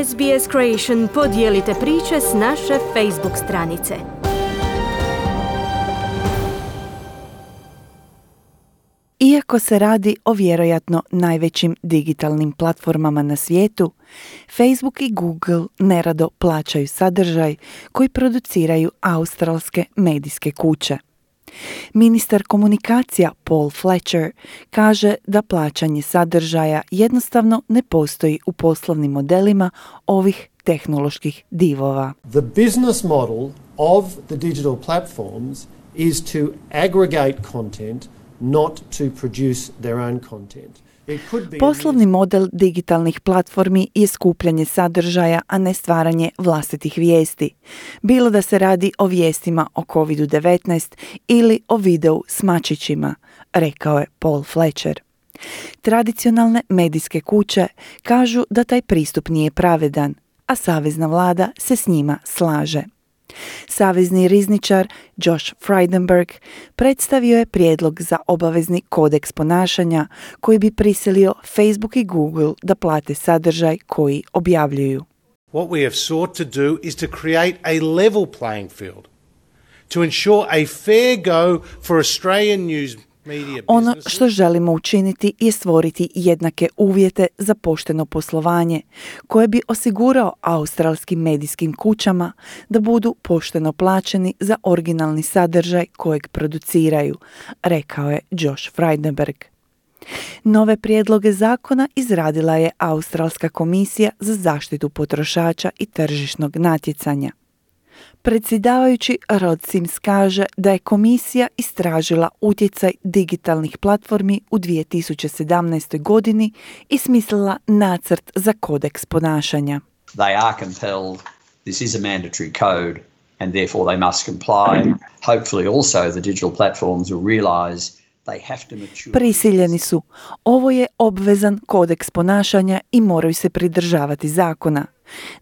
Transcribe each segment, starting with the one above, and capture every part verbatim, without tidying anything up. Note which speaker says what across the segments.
Speaker 1: S B S Creation podijelite priče s naše Facebook stranice.
Speaker 2: Iako se radi o vjerojatno najvećim digitalnim platformama na svijetu, Facebook i Google nerado plaćaju sadržaj koji produciraju australske medijske kuće. Ministar komunikacija Paul Fletcher kaže da plaćanje sadržaja jednostavno ne postoji u poslovnim modelima ovih tehnoloških divova.
Speaker 3: The business model of the digital platforms is to aggregate content, not to produce their own content.
Speaker 2: Poslovni model digitalnih platformi je skupljanje sadržaja, a ne stvaranje vlastitih vijesti. Bilo da se radi o vijestima o kovid devetnaest ili o videu s mačićima, rekao je Paul Fletcher. Tradicionalne medijske kuće kažu da taj pristup nije pravedan, a savezna vlada se s njima slaže. Savezni rizničar Josh Frydenberg predstavio je prijedlog za obavezni kodeks ponašanja koji bi prisilio Facebook i Google da plate sadržaj koji objavljuju.
Speaker 4: What we have sought to do is to create a level playing field, to ensure a fair go for Australian news.
Speaker 2: Ono što želimo učiniti je stvoriti jednake uvjete za pošteno poslovanje, koje bi osigurao australskim medijskim kućama da budu pošteno plaćeni za originalni sadržaj kojeg produciraju, rekao je Josh Frydenberg. Nove prijedloge zakona izradila je Australska komisija za zaštitu potrošača i tržišnog natjecanja. Predsjedavajući Rod Sims kaže da je komisija istražila utjecaj digitalnih platformi u dvije tisuće sedamnaestoj. godini i smislila nacrt za kodeks ponašanja.
Speaker 5: They are compelled, this is a mandatory code and therefore they must comply. Hopefully also the digital platforms will realize they have to mature.
Speaker 2: Prisiljeni su. Ovo je obvezan kodeks ponašanja i moraju se pridržavati zakona.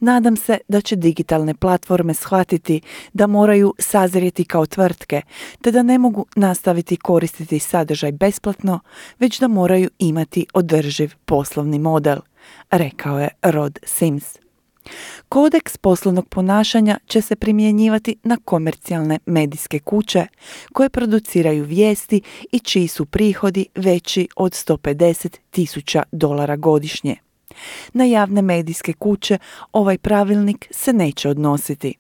Speaker 2: Nadam se da će digitalne platforme shvatiti da moraju sazrijeti kao tvrtke, te da ne mogu nastaviti koristiti sadržaj besplatno, već da moraju imati održiv poslovni model, rekao je Rod Sims. Kodeks poslovnog ponašanja će se primjenjivati na komercijalne medijske kuće koje produciraju vijesti i čiji su prihodi veći od sto pedeset tisuća dolara godišnje. Na javne medijske kuće ovaj pravilnik se neće odnositi.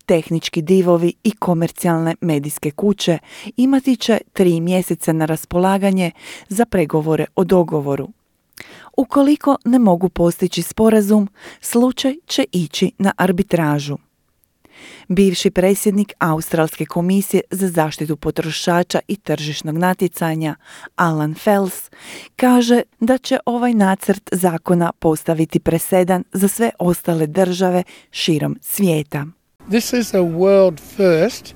Speaker 2: Tehnički divovi i komercijalne medijske kuće imati će tri mjeseca na raspolaganje za pregovore o dogovoru. Ukoliko ne mogu postići sporazum, slučaj će ići na arbitražu. Bivši predsjednik Australske komisije za zaštitu potrošača i tržišnog natjecanja, Alan Fels, kaže da će ovaj nacrt zakona postaviti presedan za sve ostale države širom svijeta.
Speaker 6: This is a world first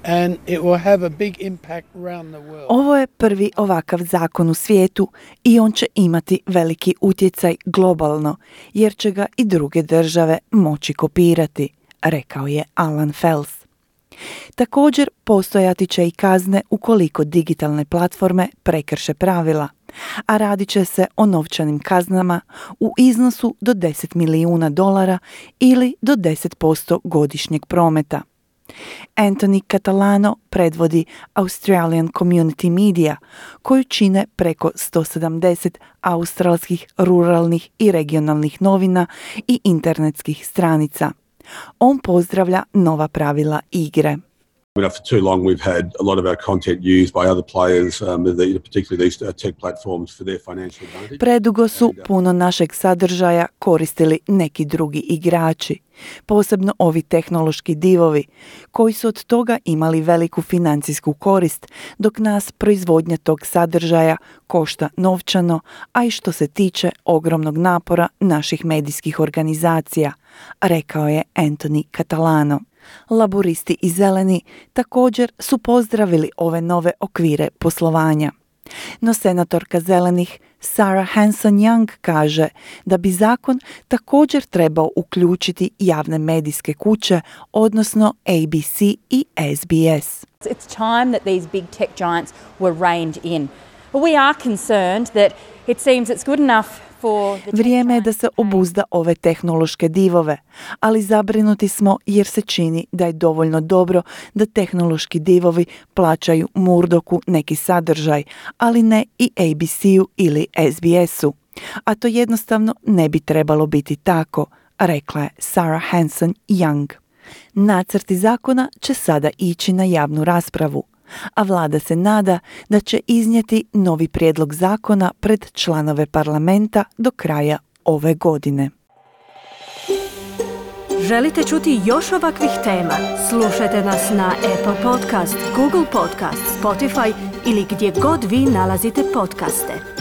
Speaker 6: and it will have a big impact around the world.
Speaker 2: Ovo je prvi ovakav zakon u svijetu i on će imati veliki utjecaj globalno, jer će ga i druge države moći kopirati, rekao je Alan Fels. Također postojati će i kazne ukoliko digitalne platforme prekrše pravila, a radit će se o novčanim kaznama u iznosu do deset milijuna dolara ili do deset posto godišnjeg prometa. Anthony Catalano predvodi Australian Community Media, koju čine preko sto sedamdeset australskih ruralnih i regionalnih novina i internetskih stranica. On pozdravlja nova pravila igre.
Speaker 7: You know, for too long we've had a lot of our content used by other players, um, the, particularly these uh, tech platforms for their financial advantage.
Speaker 2: Predugo su puno našeg sadržaja koristili neki drugi igrači, posebno ovi tehnološki divovi, koji su od toga imali veliku financijsku korist, dok nas proizvodnja tog sadržaja košta novčano, a i što se tiče ogromnog napora naših medijskih organizacija, rekao je Anthony Catalano. Laburisti i zeleni također su pozdravili ove nove okvire poslovanja. No senatorka zelenih Sarah Hanson-Young kaže da bi zakon također trebao uključiti javne medijske kuće, odnosno A B C i S B S.
Speaker 8: It's time that these big tech giants were reined in. But we are concerned that it seems it's good enough for the
Speaker 2: Vrijeme je da se obuzda ove tehnološke divove, ali zabrinuti smo jer se čini da je dovoljno dobro da tehnološki divovi plaćaju Murdochu neki sadržaj, ali ne i A B C-u ili S B S-u. A to jednostavno ne bi trebalo biti tako, rekla je Sarah Hanson-Young. Nacrti zakona će sada ići na javnu raspravu, a vlada se nada da će iznijeti novi prijedlog zakona pred članove parlamenta do kraja ove godine.
Speaker 1: Želite čuti još ovakvih tema? Slušajte nas na Apple Podcast, Google Podcast, Spotify ili gdje god vi nalazite podcaste.